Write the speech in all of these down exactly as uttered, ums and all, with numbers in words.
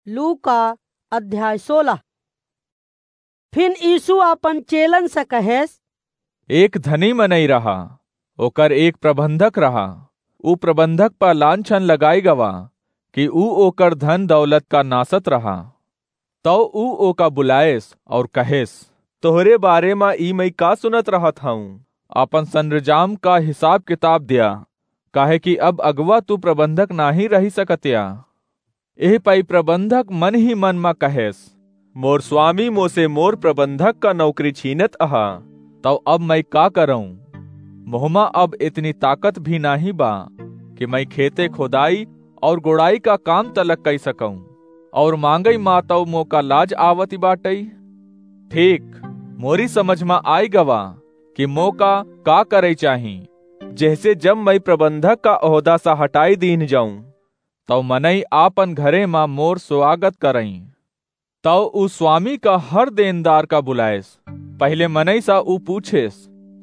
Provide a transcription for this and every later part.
लूका अध्याय सोलह। फिन यीशु आपन चेलन से कहेस, एक धनी मनई रहा, ओकर एक प्रबंधक रहा। ऊ प्रबंधक पर लांछन लगाई गवा कि ऊ ओकर धन दौलत का नासत रहा। तौ ऊ ओका बुलाएस और कहेस, तोहरे बारे मा ई मई का सुनत रहत हऊँ? आपन सरंजाम का हिसाब किताब दिया, काहे कि अब अगुवा तू प्रबंधक नाहीं रही सकत्या। एह पई प्रबंधक मन ही मन मा कहेस, मोर स्वामी मोसे मोर प्रबंधक का नौकरी छीनत अहा, तौ अब मई का करऊँ? मोहमा अब इतनी ताकत भी नाहीं बा कि मई खेते खोदाई और गोड़ाई का काम तलक कई सकऊँ, और मांगई मा तौ मोका लाज आवती बाटई। ठीक, मोरी समझ मा आई गवा कि मोका का करई चाही, जेहसे जब मई प्रबंधक का ओहदा सा हटाई दीन जाऊँ, तौ मनई आपन घरे मा मोर स्वागत करई। तौ ऊ स्वामी का हर देनदार का बुलाएस। पहिले मनई सा ऊ पूछेस,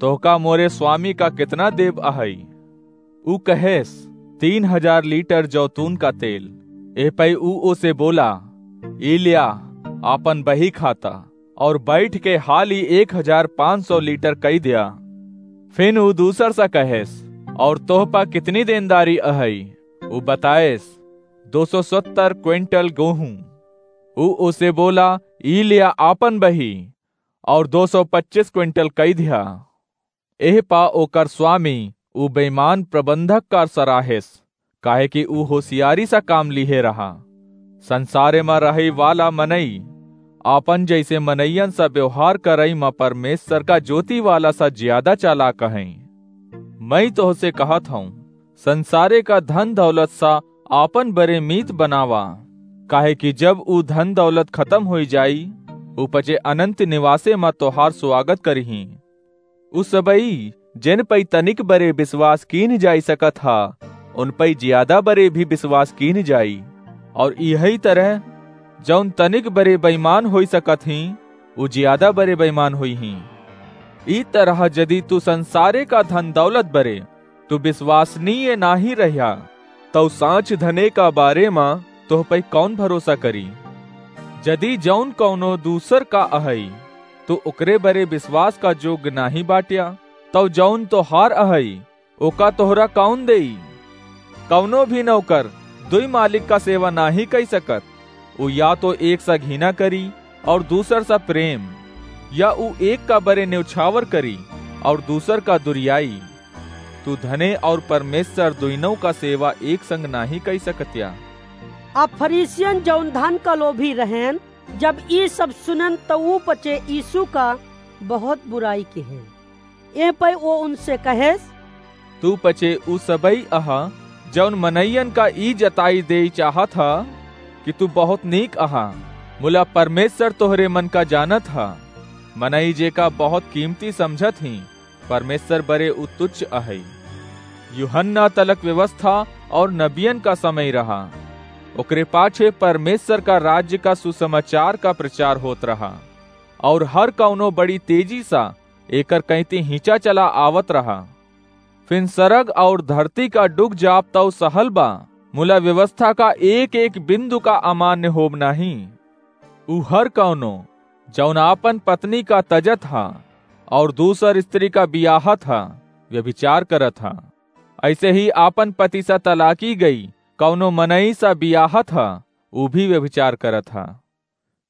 तोहका मोरे स्वामी का कितना देब अहई? ऊ कहेस, तीन हजार लीटर जौतून का तेल। एह पई ऊ ओसे बोला, ई ल्या, आपन बही खाता, और बैठ के हाली एक हजार पाँच सौ लीटर कई दिया। फिन ऊ दूसर सा कहेस, और तोह पा कितनी देनदारी अहई? ऊ बताएस, दो सौ सत्तर क्विंटल गेहूं। ऊ ओसे बोला, ई लिया आपन बही, और दो सौ पच्चीस क्विंटल कई दिया। एह पा ओकर स्वामी ऊ बेईमान प्रबंधक का सराहेस, काहे कि ऊ होशियारी सा काम लिहे रहा। संसारे मा रहई वाला मनई आपन जैसे मनइयन सा व्यवहार करई मा परमेश्वर का ज्योति वाला सा ज्यादा चालाक हई। मई तोहसे कहत हऊँ, संसारे का धन दौलत सा आपन बरे मीत बनावा, काहे कि जब ऊ धन दौलत खतम होई जाई, ऊ पचे अनंत निवासे मा तोहार स्वागत करिहीं। उ सबई जेन पई तनिक बरे विश्वास कीन जाई सकत हा, उन पई ज्यादा बरे भी विश्वास कीन जाई। और इहई तरह जौन तनिक बरे बेईमान होई सकत ही, उ ज्यादा बरे बेईमान होई ही। ई तरह जदि तू संसारे का धन दौलत बरे तू विश्वसनीय नाही रह्या, तौ सांच धने का बारे मा तोह पई कौन भरोसा करी? जदि जौन कौनो दूसर का अहई, तू ओकरे बरे विश्वास का जोग नाही बाट्या, तौ जौन तोहार अहई, ओका तोहरा कौन देई? कौनो भी नौकर दुई मालिक का सेवा नाही कई सकत। उ या तो एक सा घिना करी और दूसर सा प्रेम, या उ एक का बरे न्योछावर करी और दूसर का दुरियाई। तू धने और परमेश्वर दुइनों का सेवा एक संग नाही कई सकत्या। अब फरीसियन जौन धन का लोभी रहेन, जब ई सब सुनन, त ऊ पचे यीशु का बहुत बुराई किहेन। एह पै ओ उनसे कहेस, तू पचे ऊ सबई अहा, जौन मनइयन का ई जताई देई चाहत हा कि तू बहुत नीक अहा, मुला परमेश्वर तोहरे मन का जानत हा। मनई जेका बहुत कीमती समझत ही, परमेश्वर बरे ऊ तुच्छ अहई। यूहन्ना तलक व्यवस्था और नबियन का समय रहा। ओकरे पाछे परमेश्वर का राज्य का सुसमाचार का प्रचार होत रहा, और हर कौनो बड़ी तेजी सा एकर कैती हिंचा चला आवत रहा। फिन सरग और धरती का डुग जाप तौ सहल बा, मुला व्यवस्था का एक एक बिंदु का अमान्य होब नाही। ऊ हर कौनो, जौन आपन पत्नी का तजत हा और दूसर स्त्री का बियाहत हा, व्यभिचार करत हा। ऐसे ही आपन पति सा तलाकी गई कौनो मनई सा बियाहत हा, ऊ भी व्यभिचार करत हा।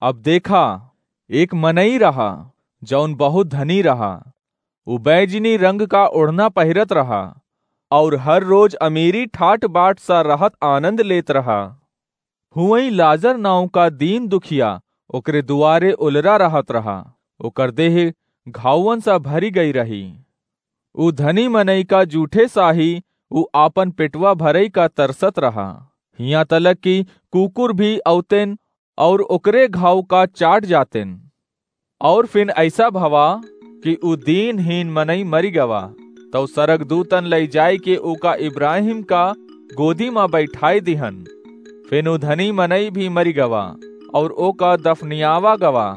अब देखा, एक मनई रहा, जौन बहुत धनी रहा। ऊ बैजनी रंग का ओढ़ना पहिरत रहा और हर रोज अमीरी ठाट बाट सा रहत आनंद लेत रहा। हुवई लाजर नाव का दीन दुखिया ओकरे दुआरे उलरा रहत रहा, ओकर देह घावन सा भरी गई रही। ऊ धनी मनई का जूठे साही ऊ आपन पेटवा भरई का तरसत रहा, हियां तलक कि कुकुर भी अवतेन और ओकरे घाव का चाट जातेन। और फिन ऐसा भवा कि ऊ दीनहीन मनई मरी गवा, तौ सरग दूतन लई जाए के ओका इब्राहिम का गोदी मा बैठाए दिहन। फिन ऊ धनी मनई भी मरी गवा और ओका दफनियावा गवा।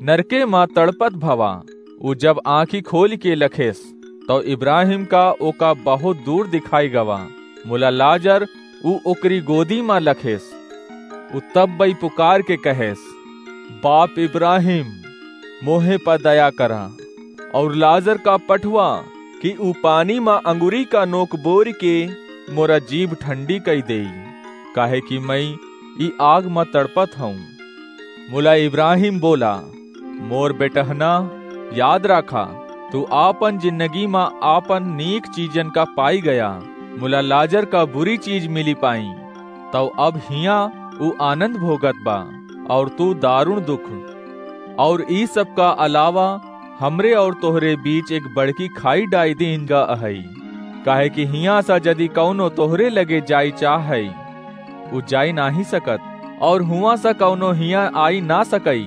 नरके मा तड़पत भवा, ऊ जब आँखी खोल के लखेस, तौ इब्राहिम का ओका बहुत दूर दिखाई गवा, मुला लाजर ऊ ओकरी गोदी मा लखेस। उ तब्बइ पुकार के कहेस, "बाप इब्राहिम, मोहे प दया करा, अउर लाजर का पठवा कि उ पानी म अंगुरी का नोक बोरि के मोरा जीभ ठंडी कइ देई, काहे कि मइँ ई आग म तड़पत हउँ।" मुला इब्राहिम बोला, "मोर बेटहना, याद राखा, तू आपन जिन्नगी म आपन नीक चीजन का पाई गया, मुला लाजर का बुरी चीज मिली पाई। तउ अब हियाँ उ आनंद भोगत बा, अउर तू दारुण दुख। अउर ई सब का अलावा हमरे अउर तोहरे बीच एक बड़की खाई डाइ दीन गा अहइ, काहे कि हियाँ स जदि कउनो तोहरे लगे जाई चाहइ, उ जाई नाहीं सकत, अउर हुआँ स कउनो हियाँ आई ना सकइ।"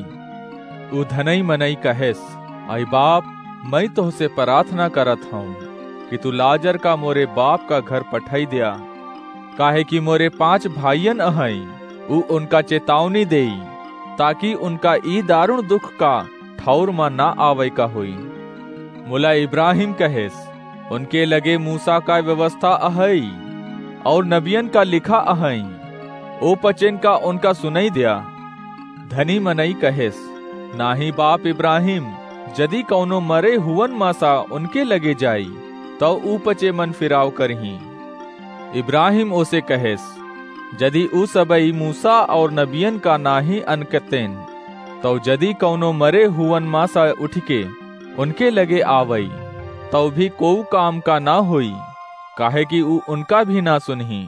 उ धनई मनई कहेस, "अइ बाप, मइँ तोहसे पराथना करत हउँ कि तू लाजर का मोरे बाप का घर पठइ द्या, काहे कि मोरे पाँच भाइयन अहइँ।" उ उनका चेतावनी देई, ताकि उनका ई दारुण दुख का ठउर म ना आवइ का होई। मुला इब्राहिम कहेस, "उनके लगे मूसा का व्यवस्था अहइ, अउर नबियन का लिखा अहइँ, ओ पचेन का उनका सुनइ द्या।" धनी मनई कहेस, "नाहीं बाप इब्राहिम, जदि कउनो मरे हुवन म स उनके लगे जाई, तउ उ पचे मन फिराव करहीं।" इब्राहिम ओसे कहेस, "जदि उ सबइ मूसा अउर नबियन का नाहीं अनकतेन, तउ जदि कउनो मरे हुवन म स उठिके उनके लगे आवइ, तउ भी कोउ काम का ना होई, काहे कि उ उनका भी ना सुनहीं।"